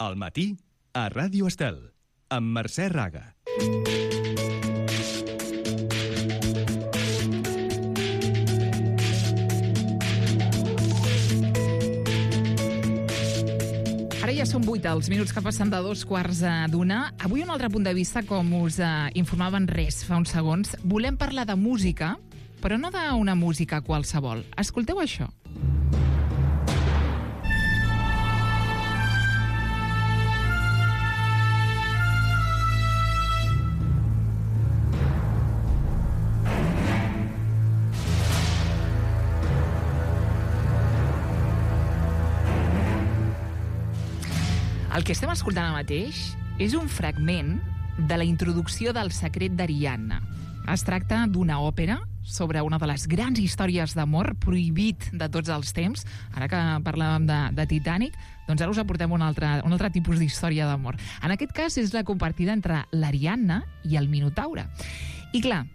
Al matí, a Ràdio Estel, amb Mercè Raga. Ara ja són 8 els minuts que passen de 2:15. Avui un altre punt de vista, com us informaven fa uns segons. Volem parlar de música, però no d'una música qualsevol. Escolteu això. El que estem escoltant ara mateix és un fragment de la introducció del Secret d'Ariadna. Es tracta d'una òpera sobre una de les grans històries d'amor prohibit de tots els temps. Ara que parlàvem de Titanic, doncs ara us aportem un altre tipus d'història d'amor. En aquest cas és la compartida entre l'Ariadna i el Minotaure. I clar,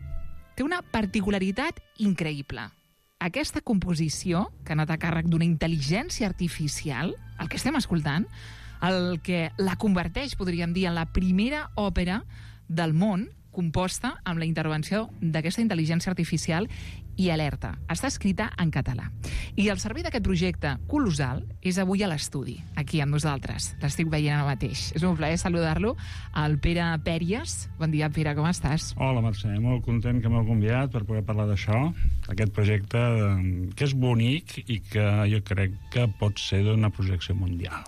té una particularitat increïble. Aquesta composició, que ha anat a càrrec d'una intel·ligència artificial, el que estem escoltant, el que la converteix, podríem dir, en la primera òpera del món composta amb la intervenció d'aquesta intel·ligència artificial i alerta. Està escrita en català. I el servei d'aquest projecte colossal és avui a l'estudi, aquí amb nosaltres. L'estic veient ara mateix. És un plaer saludar-lo, el Pere Pèries. Bon dia, Pere, com estàs? Hola, Mercè. Molt content que m'heu convidat per poder parlar d'això, d'aquest projecte que és bonic i que jo crec que pot ser d'una projecció mundial.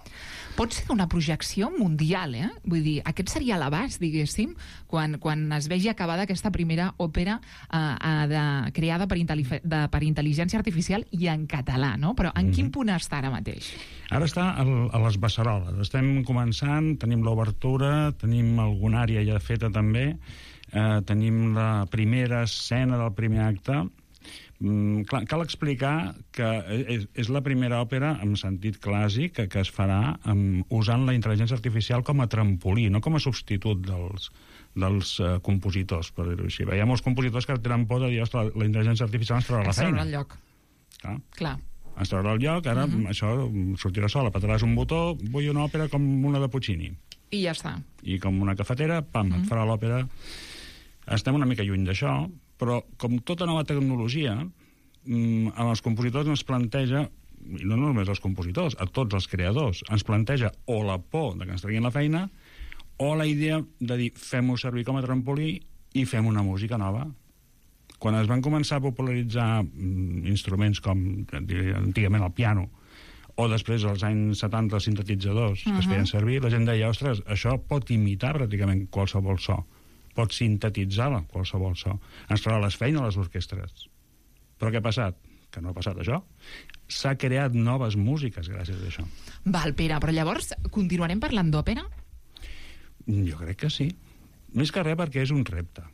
Pot ser d'una projecció mundial, eh? Vull dir, aquest seria l'abast, diguéssim, quan es vegi acabada aquesta primera òpera creada per intel·ligència artificial i en català, no? Però en quin punt està ara mateix? Ara està a les beceroles. Estem començant, tenim l'obertura, tenim alguna àrea ja feta també, tenim la primera escena del primer acte. Clar, cal explicar que és la primera òpera en sentit clàssic que es farà usant la intel·ligència artificial com a trampolí, no com a substitut dels compositors, per dir-ho així. Hi ha molts compositors que tenen por de dir, ostres, la intel·ligència artificial ens traurà la feina. Ens traurà el lloc. Clar. Ens traurà el lloc, ara això sortirà sol, apretaràs un botó, vull una òpera com una de Puccini. I ja està. I com una cafetera, pam, et farà l'òpera. Estem una mica lluny d'això, però com tota nova tecnologia, els compositors ens planteja, i no només els compositors, a tots els creadors, ens planteja o la por de que ens treguin la feina o la idea de dir, fem-ho servir com a trampolí i fem una música nova. Quan es van començar a popularitzar instruments com antigament el piano o després als anys 70 els sintetitzadors que es feien servir, la gent deia, ostres, això pot imitar pràcticament qualsevol so, pot sintetitzar qualsevol so, ens traurà les feines a les orquestres. Però què ha passat? Que no ha passat això. S'ha creat noves músiques gràcies a això. Val, Pere, però llavors continuarem parlant d'òpera? Jo crec que sí. Més que res perquè és un repte.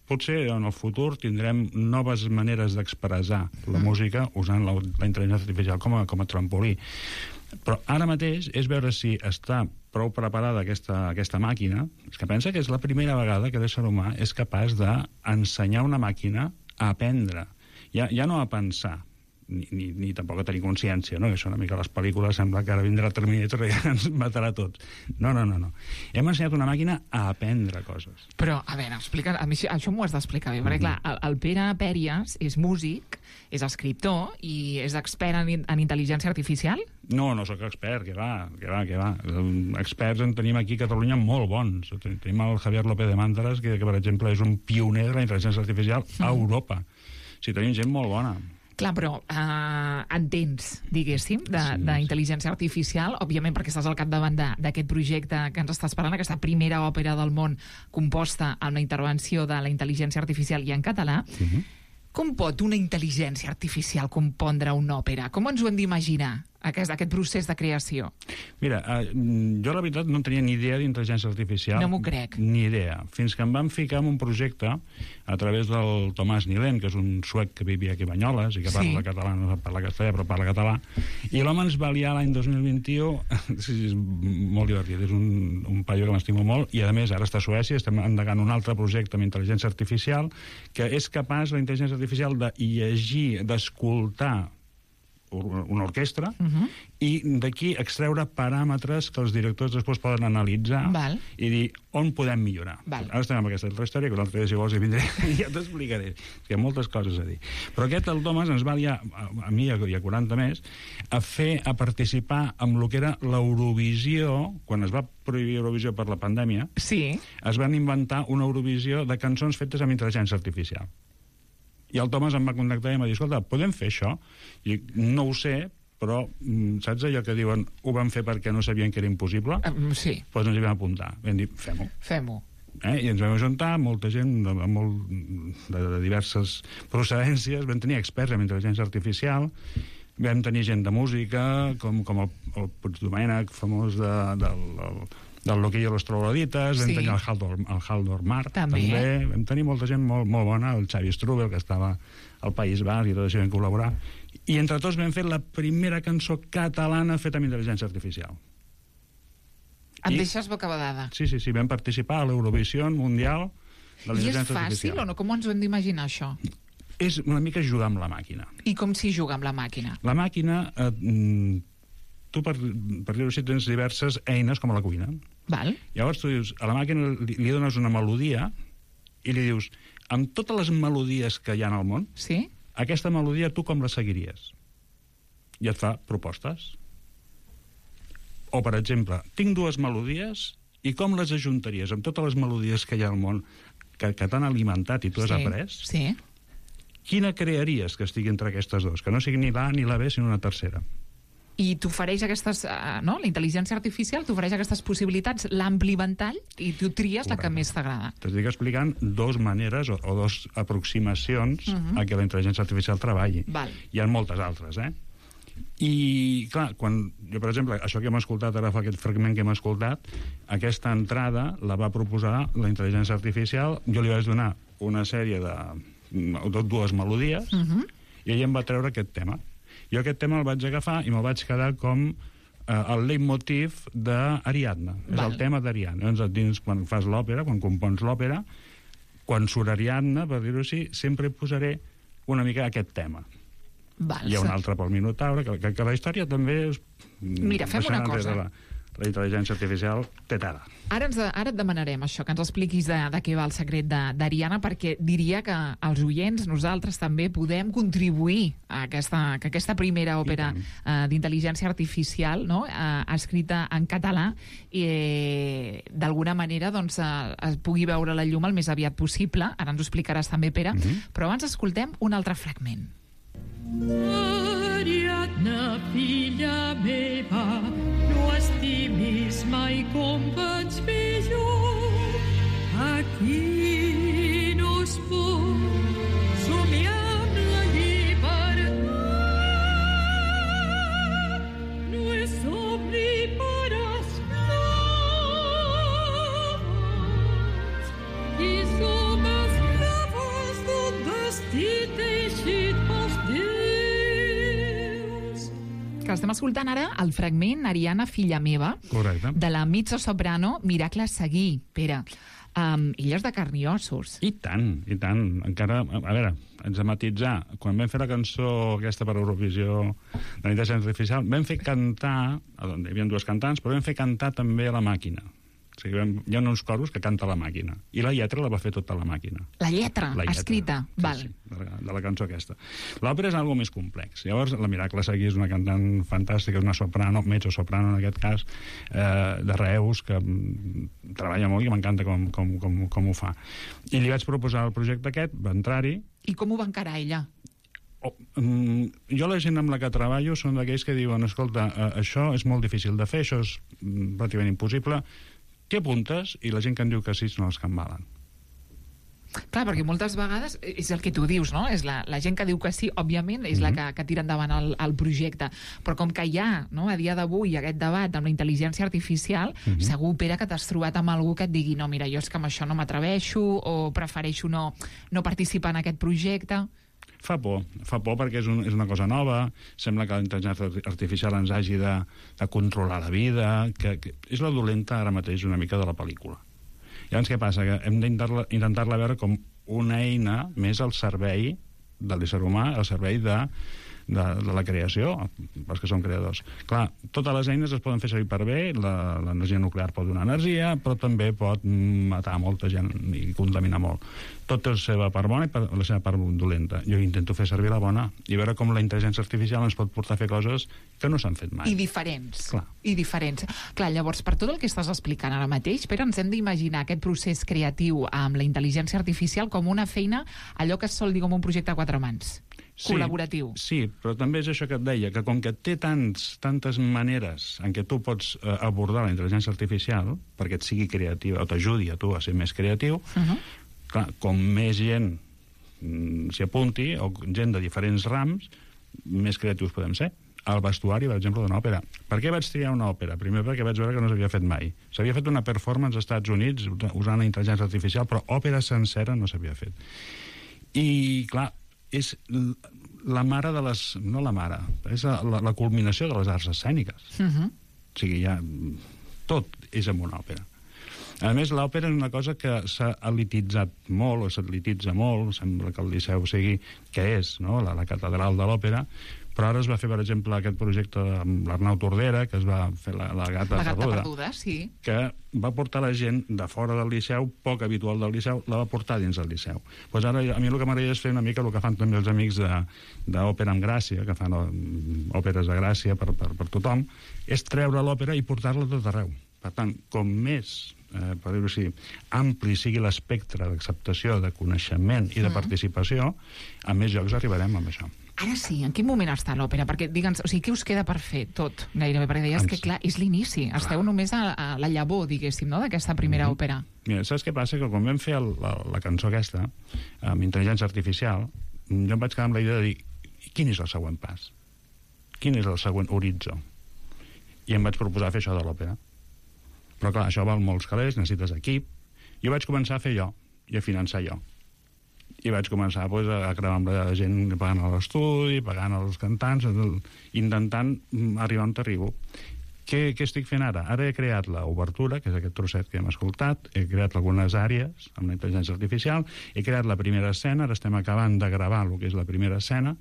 Potser en el futur tindrem noves maneres d'expressar la música usant la intel·ligència artificial com a trampolí. Però ara mateix és veure si està prou preparada aquesta màquina, és que pensa que és la primera vegada que l'ésser humà és capaç d'ensenyar una màquina a aprendre. Ja no a pensar, ni tampoc a tenir consciència, no? Això una mica a les pel·lícules sembla que ara vindrà Terminator i ens matarà tots. No. Hem ensenyat una màquina a aprendre coses. Però, a veure, explica, a mi això m'ho has d'explicar bé, perquè clar, el Pere Pèries és músic, és escriptor i és expert en intel·ligència artificial? No sóc expert, que va. Experts en tenim aquí a Catalunya molt bons. Tenim el Javier López de Mántaras, que per exemple és un pioner de la intel·ligència artificial a Europa. Sí, tenim gent molt bona. Clar, però entens, diguéssim, d'intel·ligència artificial, òbviament perquè estàs al capdavant d'aquest projecte que ens estàs parlant, aquesta primera òpera del món composta amb la intervenció de la intel·ligència artificial i en català. Com pot una intel·ligència artificial compondre una òpera? Com ens ho hem d'imaginar, aquest procés de creació? Mira, jo la veritat no tenia ni idea d'intel·ligència artificial. No m'ho crec. Ni idea. Fins que em van ficar en un projecte a través del Tomàs Nilén, que és un suec que vivia aquí a Banyoles i que parla català, no parla castellà, però parla català. I l'home ens va liar l'any 2021. Sí, és molt divertit. És un paio que m'estimo molt. I, a més, ara està a Suècia, estem endegant un altre projecte amb intel·ligència artificial que és capaç, la intel·ligència artificial, de llegir, d'escoltar una orquestra, i d'aquí extreure paràmetres que els directors després poden analitzar i dir on podem millorar. Ara estem amb aquesta altra història, que l'altre dia, si vols, hi vindré i ja t'explicaré. Hi ha moltes coses a dir. Però aquest, el Thomas, ens va liar, a mi i a 40 més, a participar amb el que era l'Eurovisió. Quan es va prohibir Eurovisió per la pandèmia, es van inventar una Eurovisió de cançons fetes amb intel·ligència artificial. I el Thomas em va contactar i em va dir, escolta, podem fer això? I no ho sé, però saps allò que diuen ho van fer perquè no sabien que era impossible? Sí. Doncs ens hi vam apuntar. Vam dir, fem-ho. Fem-ho. I ens vam ajuntar, molta gent de diverses procedències, vam tenir experts en intel·ligència artificial, vam tenir gent de música, com el Puigdomènech, famós del Loquillo i los Troglodites, vam tenir el Haldor Marc, també. Vam tenir molta gent molt bona, el Xavi Strubel, que estava al País Basc, i tot això vam col·laborar. I entre tots vam fer la primera cançó catalana feta amb intel·ligència artificial. Em deixes bocabadada. Sí, vam participar a l'Eurovisió Mundial de l'intel·ligència artificial. I és fàcil o no? Com ens ho hem d'imaginar, això? És una mica jugar amb la màquina. I com s'hi juga amb la màquina? La màquina... tu, per dir-ho així, tens diverses eines com a la cuina. Llavors tu dius, a la màquina li dones una melodia i li dius, amb totes les melodies que hi ha al món, aquesta melodia tu com la seguiries? I et fa propostes. O, per exemple, tinc dues melodies i com les ajuntaries amb totes les melodies que hi ha al món que t'han alimentat i tu has après? Quina crearies que estigui entre aquestes dues? Que no sigui ni l'A ni la B, sinó una tercera. I t'ofereix aquestes... La intel·ligència artificial t'ofereix aquestes possibilitats, l'ampli ventall, i tu tries la que més t'agrada. T'estic explicant dues maneres o dues aproximacions a que la intel·ligència artificial treballi. Hi ha moltes altres, I, clar, quan jo, per exemple, això que hem escoltat ara, aquest fragment que hem escoltat, aquesta entrada la va proposar la intel·ligència artificial, jo li vaig donar una sèrie de dues melodies, i ella em va treure aquest tema. Jo aquest tema el vaig agafar i me'l vaig quedar com el leitmotiv d'Ariadna. És el tema d'Ariadna. Dins, quan fas l'òpera, quan compons l'òpera, quan surt Ariadna, per dir-ho així, sempre posaré una mica aquest tema. Hi ha un altre pel Minotaure, que la història també és... Mira, fem una cosa. La intel·ligència artificial té tela. Ara et demanarem això, que ens expliquis de què va el secret d'Ariadna, perquè diria que els oients, nosaltres també, podem contribuir a que aquesta primera òpera d'intel·ligència artificial, escrita en català, d'alguna manera es pugui veure la llum el més aviat possible. Ara ens ho explicaràs també, Pere, però abans escoltem un altre fragment. Ariadna, filla meva, no estimis mai com vaig fer jo. Aquí no es pot somiar amb la llibertat. No és somni per esclaves i som esclaves d'un destí teixit pels déus. Que estem escoltant ara el fragment Ariadna, filla meva, de la mezzosoprano Miracle Seguí. Pere, ella és de carn i ossos. I tant, i tant. Encara, a veure, ens de matitzar. Quan vam fer la cançó aquesta per Eurovisió de l'intel·ligència artificial, vam fer cantar, on hi havia dues cantants, però vam fer cantar també a la màquina. O sigui, hi ha uns coros que canta la màquina. I la lletra la va fer tota la màquina. La lletra escrita? Sí, de la cançó aquesta. L'òpera és algo més complex. Llavors, la Miracle Seguí és una cantant fantàstica, és una soprano, mezzosoprano en aquest cas, de Reus, que treballa molt i m'encanta com ho fa. I li vaig proposar el projecte aquest, va entrar-hi. I com ho va encarar ella? Jo la gent amb la que treballo són d'aquells que diuen, escolta, això és molt difícil de fer, això és pràcticament impossible, què apuntes? I la gent que em diu que sí són els que em valen. Clar, perquè moltes vegades és el que tu dius, no? És la gent que diu que sí, òbviament, és la que tira endavant el projecte. Però com que hi ha, no, a dia d'avui, aquest debat amb la intel·ligència artificial, segur, Pere, que t'has trobat amb algú que et digui no, mira, jo és que amb això no m'atreveixo o prefereixo no participar en aquest projecte. Fa por perquè és una cosa nova, sembla que la intel·ligència artificial ens hagi de controlar la vida, que és la dolenta ara mateix una mica de la pel·lícula. Llavors què passa? Que hem d'intentar-la veure com una eina més al servei de l'ésser humà, al servei de de la creació, els que són creadors. Clar, totes les eines es poden fer servir per bé, l'energia nuclear pot donar energia, però també pot matar molta gent i contaminar molt. Tot té la seva part bona i la seva part dolenta. Jo intento fer servir la bona i veure com la intel·ligència artificial ens pot portar a fer coses que no s'han fet mai. I diferents. Clar. I diferents. Clar, llavors, per tot el que estàs explicant ara mateix, però ens hem d'imaginar aquest procés creatiu amb la intel·ligència artificial com una feina, allò que es sol dir com un projecte a quatre mans. Sí, col·laboratiu. Sí, però també és això que et deia, que com que té tantes maneres en què tu pots abordar la intel·ligència artificial perquè et sigui creativa o t'ajudi a tu a ser més creatiu, clar, com més gent s'hi apunti, o gent de diferents rams, més creatius podem ser. El vestuari, per exemple, d'una òpera. Per què vaig triar una òpera? Primer perquè vaig veure que no s'havia fet mai. S'havia fet una performance als Estats Units usant la intel·ligència artificial, però òpera sencera no s'havia fet. I, clar, és la mare de les... No la mare, és la culminació de les arts escèniques. O sigui, ja... Tot és en una òpera. A més, l'òpera és una cosa que s'ha elititzat molt, o s'elititza molt, sembla que el Liceu sigui què és, no?, la catedral de l'òpera, però ara es va fer, per exemple, aquest projecte amb l'Arnau Tordera, que es va fer la Gata Perduda, sí, que va portar la gent de fora del Liceu, poc habitual del Liceu, la va portar dins del Liceu. Pues ara a mi el que m'agradaria és fer una mica el que fan també els amics d'Òpera amb Gràcia, que fan òperes de Gràcia per tothom, és treure l'òpera i portar-la tot arreu. Per tant, com més, per dir-ho així, ampli sigui l'espectre d'acceptació, de coneixement i de participació, a més llocs arribarem amb això. Ara sí, en quin moment està l'òpera? Perquè, digue'ns, o sigui, què us queda per fer tot, gairebé? Perquè deies que, clar, és l'inici. Esteu només a la llavor, diguéssim, no?, d'aquesta primera òpera. Mira, saps què passa? Que quan vam fer la cançó aquesta, amb intel·ligència artificial, jo em vaig quedar amb la idea de dir, quin és el següent pas? Quin és el següent horitzó? I em vaig proposar fer això de l'òpera. Però, clar, això val molts calés, necessites equip. Jo vaig començar a fer jo, i a finançar jo. I vaig començar a crear amb la gent pagant a l'estudi, pagant als cantants, intentant arribar on t'arribo. Què estic fent ara? Ara he creat l'obertura, que és aquest trosset que hem escoltat, he creat algunes àrees amb la intel·ligència artificial, he creat la primera escena, ara estem acabant de gravar el que és la primera escena,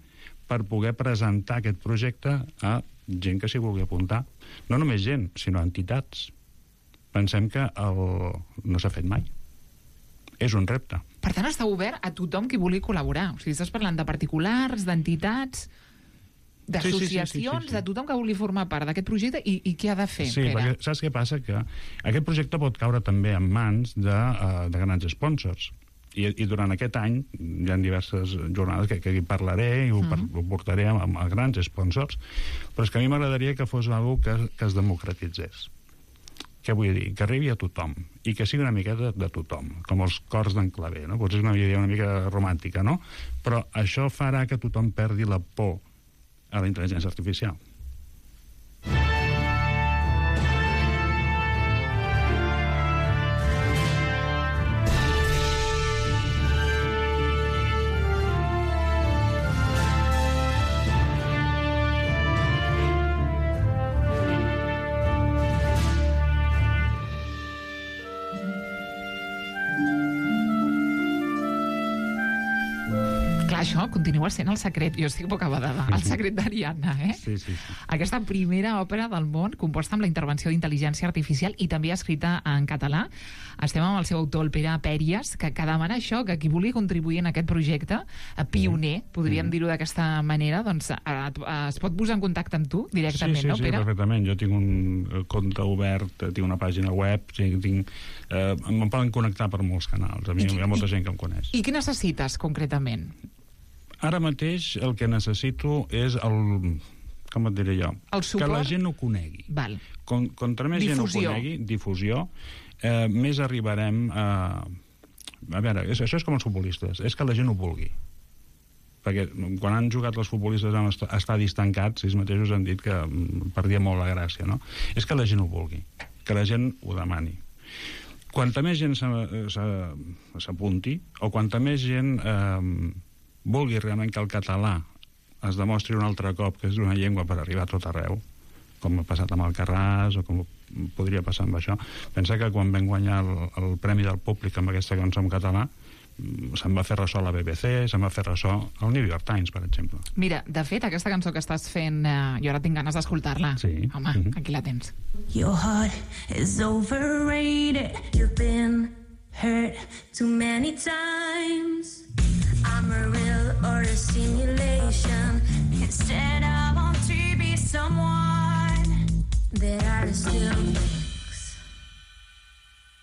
per poder presentar aquest projecte a gent que s'hi vulgui apuntar. No només gent, sinó entitats. Pensem que no s'ha fet mai. És un repte. Per tant, està obert a tothom qui vulgui col·laborar. O sigui, estàs parlant de particulars, d'entitats, d'associacions, de tothom que vulgui formar part d'aquest projecte i què ha de fer. Sí, perquè saps què passa? Que aquest projecte pot caure també en mans de grans sponsors. I durant aquest any hi ha diverses jornades que hi parlaré i ho portaré a grans sponsors, però és que a mi m'agradaria que fos una cosa que es democratitzés. Què vull dir? Que arribi a tothom i que sigui una miqueta de tothom, com els cors d'en Clavé, no? Potser és una idea una mica romàntica, no? Però això farà que tothom perdi la por a la intel·ligència artificial. Això continua sent el secret, jo estic bocabadada, el secret d'Ariadna, Sí. Aquesta primera òpera del món, composta amb la intervenció d'intel·ligència artificial i també escrita en català. Estem amb el seu autor, el Pere Pèries, que demana això, que qui vulgui contribuir en aquest projecte, pioner, podríem dir-ho d'aquesta manera, doncs es pot posar en contacte amb tu directament, no, Pere? Sí, perfectament. Jo tinc un compte obert, tinc una pàgina web, em poden connectar per molts canals. A mi hi ha molta gent que em coneix. I què necessites, concretament? Ara mateix el que necessito és com et diré jo? El suport? Que la gent ho conegui. Val. Contra més gent ho conegui, difusió, més arribarem a... A veure, això és com els futbolistes, és que la gent ho vulgui. Perquè quan han jugat els futbolistes en estadis tancats, ells mateixos han dit que perdia molt la gràcia, no? És que la gent ho vulgui, que la gent ho demani. Quanta més gent s'apunti, o quanta més gent vulgui realment que el català es demostri un altre cop que és una llengua per arribar a tot arreu, com ha passat amb el Carràs o com podria passar amb això. Pensa que quan vam guanyar el Premi del Públic amb aquesta cançó en català se'n va fer ressò a la BBC, se'n va fer ressò al New York Times, per exemple. Mira, de fet, aquesta cançó que estàs fent, jo ara tinc ganes d'escoltar-la. Sí. Home, aquí la tens. Your heart is overrated. You've been hurt too many times. I'm a real or a simulation. Instead, I want to be someone that are still things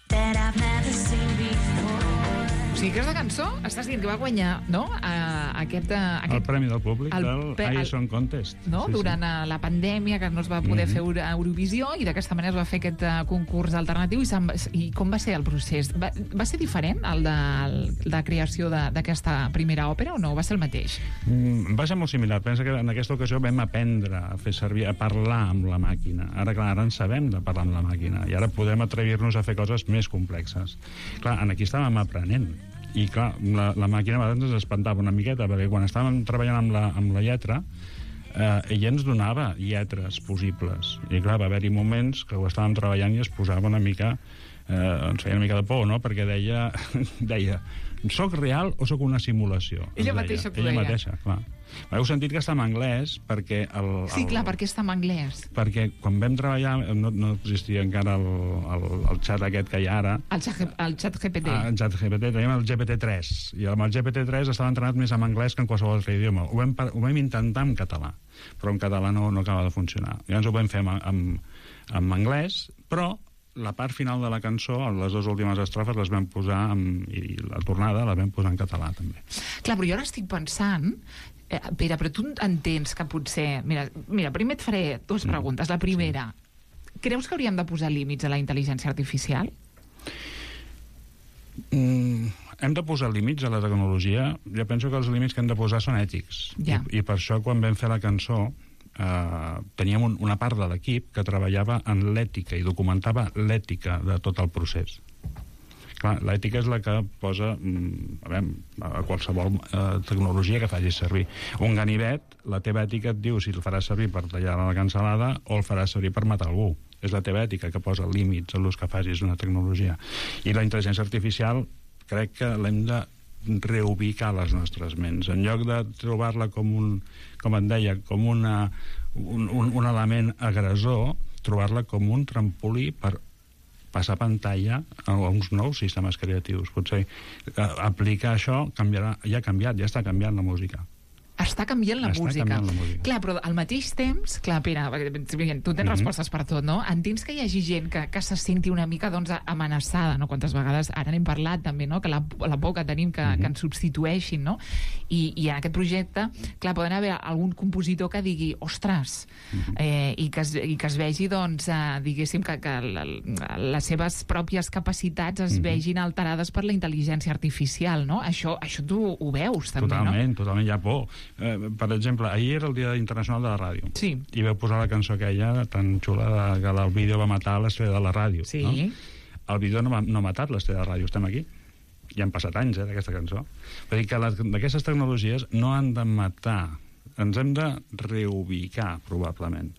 that I've never seen before. O sigui, aquesta cançó, estàs dient que va guanyar, no?, El premi del públic del iSong Contest. No? Sí, durant la pandèmia, que no es va poder fer Eurovisió, i d'aquesta manera es va fer aquest concurs alternatiu. I com va ser el procés? Va ser diferent el de creació d'aquesta primera òpera o no? Va ser el mateix? Va ser molt similar. Pensa que en aquesta ocasió vam aprendre a fer servir, a parlar amb la màquina. Ara, clar, ara en sabem de parlar amb la màquina i ara podem atrevir-nos a fer coses més complexes. Clar, aquí estàvem aprenent. I clar, la màquina a vegades ens espantava una miqueta, perquè quan estàvem treballant amb la lletra, ella ens donava lletres possibles. I clar, va haver-hi moments que ho estàvem treballant i es posava una mica... ens feia una mica de por, no?, perquè deia soc real o soc una simulació? Ella mateixa t'ho deia. Ella mateixa, clar. Heu sentit que està en anglès perquè... Sí, clar, perquè està en anglès. Perquè quan vam treballar no existia encara el xat aquest que hi ha ara. El xat GPT. El xat GPT, teníem el GPT-3. I amb el GPT-3 estava entrenat més en anglès que en qualsevol altre idioma. Ho vam intentar en català, però en català no acaba de funcionar. Llavors ho vam fer en anglès, però la part final de la cançó, les dues últimes estrofes, les vam posar, i la tornada la vam posar en català, també. Clar, però jo ara estic pensant... Pere, però tu entens que potser... Mira, primer et faré dues preguntes. La primera, creus que hauríem de posar límits a la intel·ligència artificial? Hem de posar límits a la tecnologia. Jo penso que els límits que hem de posar són ètics. Ja. I per això, quan vam fer la cançó, teníem una part de l'equip que treballava en l'ètica i documentava l'ètica de tot el procés. Clar, l'ètica és la que posa a qualsevol tecnologia que facis servir. Un ganivet, la teva ètica et diu si el faràs servir per tallar la cansalada o el faràs servir per matar algú. És la teva ètica que posa límits a l'ús que facis d'una tecnologia. I la intel·ligència artificial crec que l'hem de reubicar a les nostres ments. En lloc de trobar-la com et deia, com un element agressor, trobar-la com un trampolí per passar pantalla a uns nous sistemes creatius. Potser aplicar això ja ha canviat, ja està canviant la música. Està canviant la música. Clar, però al mateix temps, clar, Pere, tu tens respostes per tot, no? Entens que hi hagi gent que se senti una mica, doncs, amenaçada, no? Quantes vegades, ara n'hem parlat també, no?, que la por que tenim que ens substitueixin, no? I en aquest projecte, clar, poden haver algun compositor que digui, ostres, i que es vegi, doncs, diguéssim, que les seves pròpies capacitats es vegin alterades per la intel·ligència artificial, no? Això tu ho veus, també, no? Totalment, hi ha por. Per exemple, ahir era el Dia Internacional de la Ràdio. Sí. I vau posar la cançó aquella tan xula que el vídeo va matar l'estrella de la ràdio. Sí. No? El vídeo no ha matat l'estrella de la ràdio, estem aquí. Ja han passat anys, d'aquesta cançó. Vull dir que d'aquestes tecnologies no han de matar. Ens hem de reubicar, probablement.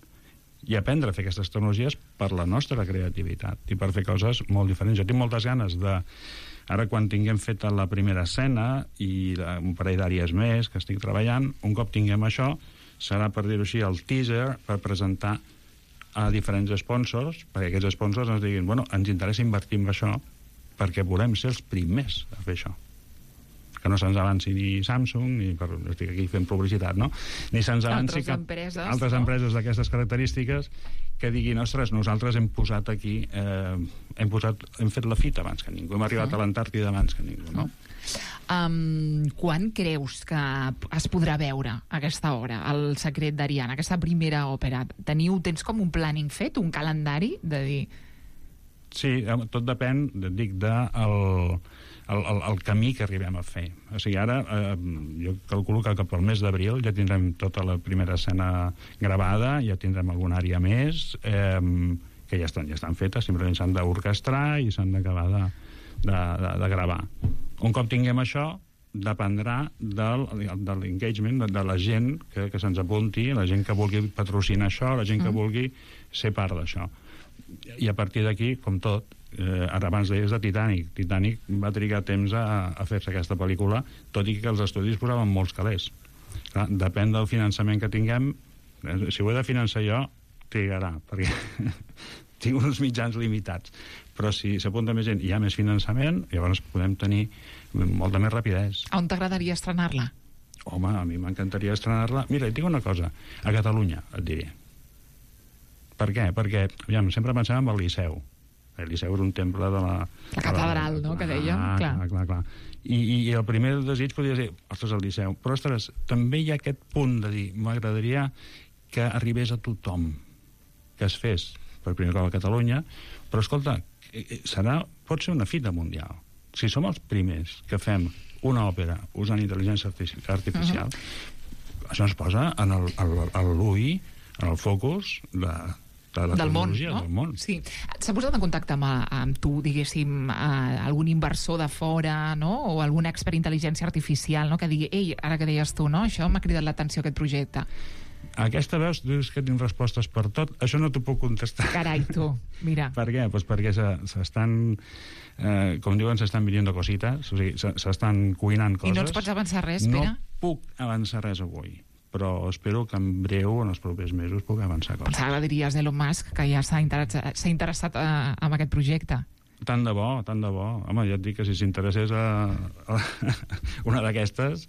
I aprendre a fer aquestes tecnologies per la nostra creativitat i per fer coses molt diferents. Jo tinc moltes ganes de... Ara, quan tinguem feta la primera escena i un parell d'àrees més que estic treballant, un cop tinguem això, serà, per dir-ho així, el teaser per presentar a diferents sponsors, perquè aquests sponsors ens diguin, bueno, ens interessa invertir en això perquè volem ser els primers a fer això. Que no se'ns avanci ni Samsung, estic aquí fent publicitat, no? Ni se'ns avanci altres empreses d'aquestes característiques que diguin, ostres, nosaltres hem posat aquí, hem fet la fita abans que ningú, hem arribat a l'Antàrtida abans que ningú, no? Quan creus que es podrà veure aquesta obra, El secret d'Ariana, aquesta primera òpera? Tens com un planning fet, un calendari de dir... Sí, tot depèn, dic, del camí que arribem a fer. O sigui, ara jo calculo que cap al mes d'abril ja tindrem tota la primera escena gravada, ja tindrem alguna àrea més, que ja estan fetes, simplement s'han d'orquestrar i s'han d'acabar de gravar. Un cop tinguem això, dependrà de l'engagement, de la gent que se'ns apunti, la gent que vulgui patrocinar això, la gent que vulgui ser part d'això. I a partir d'aquí, com tot, ara abans deies de Titanic. Titanic va trigar temps a fer-se aquesta pel·lícula, tot i que els estudis posaven molts calés. Clar, depèn del finançament que tinguem. Si ho he de finançar jo, trigarà, perquè tinc uns mitjans limitats. Però si s'apunta més gent i hi ha més finançament, llavors podem tenir molta més rapidesa. On t'agradaria estrenar-la? Home, a mi m'encantaria estrenar-la. Mira, et dic una cosa, a Catalunya, et diré. Per què? Perquè, aviam, sempre pensem en el Liceu. El Liceu era un temple de la... La catedral, no?, que dèiem. Clar. I el primer desig podria ser, ostres, el Liceu. Però, ostres, també hi ha aquest punt de dir, m'agradaria que arribés a tothom, que es fes per primer cop a Catalunya, però, escolta, pot ser una fita mundial. Si som els primers que fem una òpera usant intel·ligència artificial, això ens posa en l'ull, en el focus de la tecnologia del món. Sí. S'ha posat en contacte amb tu, diguéssim, algun inversor de fora, no?, o algun expert d'intel·ligència artificial, no?, que digui, ei, ara que deies tu, no?, això m'ha cridat l'atenció, aquest projecte. Aquesta veus, dius que tinc respostes per tot, això no t'ho puc contestar. Carai, tu, mira. Per què? Pues perquè s'estan, com diuen, s'estan venint cosites, o sigui, s'estan cuinant coses. I no ens pots avançar res, Pere? No puc avançar res avui, però espero que en breu, en els propers mesos, puc avançar coses. Pensava que diries d'Elon Musk, que ja s'ha interessat en aquest projecte. Tant de bo. Home, ja et dic que si s'interessés a una d'aquestes...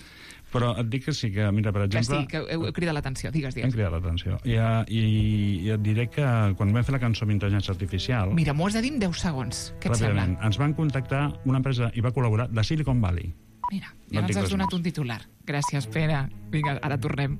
Però et dic que sí, que, mira, per exemple... Que sí, que heu cridat l'atenció, digues. Hem cridat l'atenció. I et diré que quan vam fer la cançó amb intel·ligència artificial... Mira, m'ho has de dir en 10 segons, què et sembla? Ens van contactar una empresa, i va col·laborar, de Silicon Valley. Mira, ja ens has donat un titular. Gràcies, Pere. Vinga, ara tornem.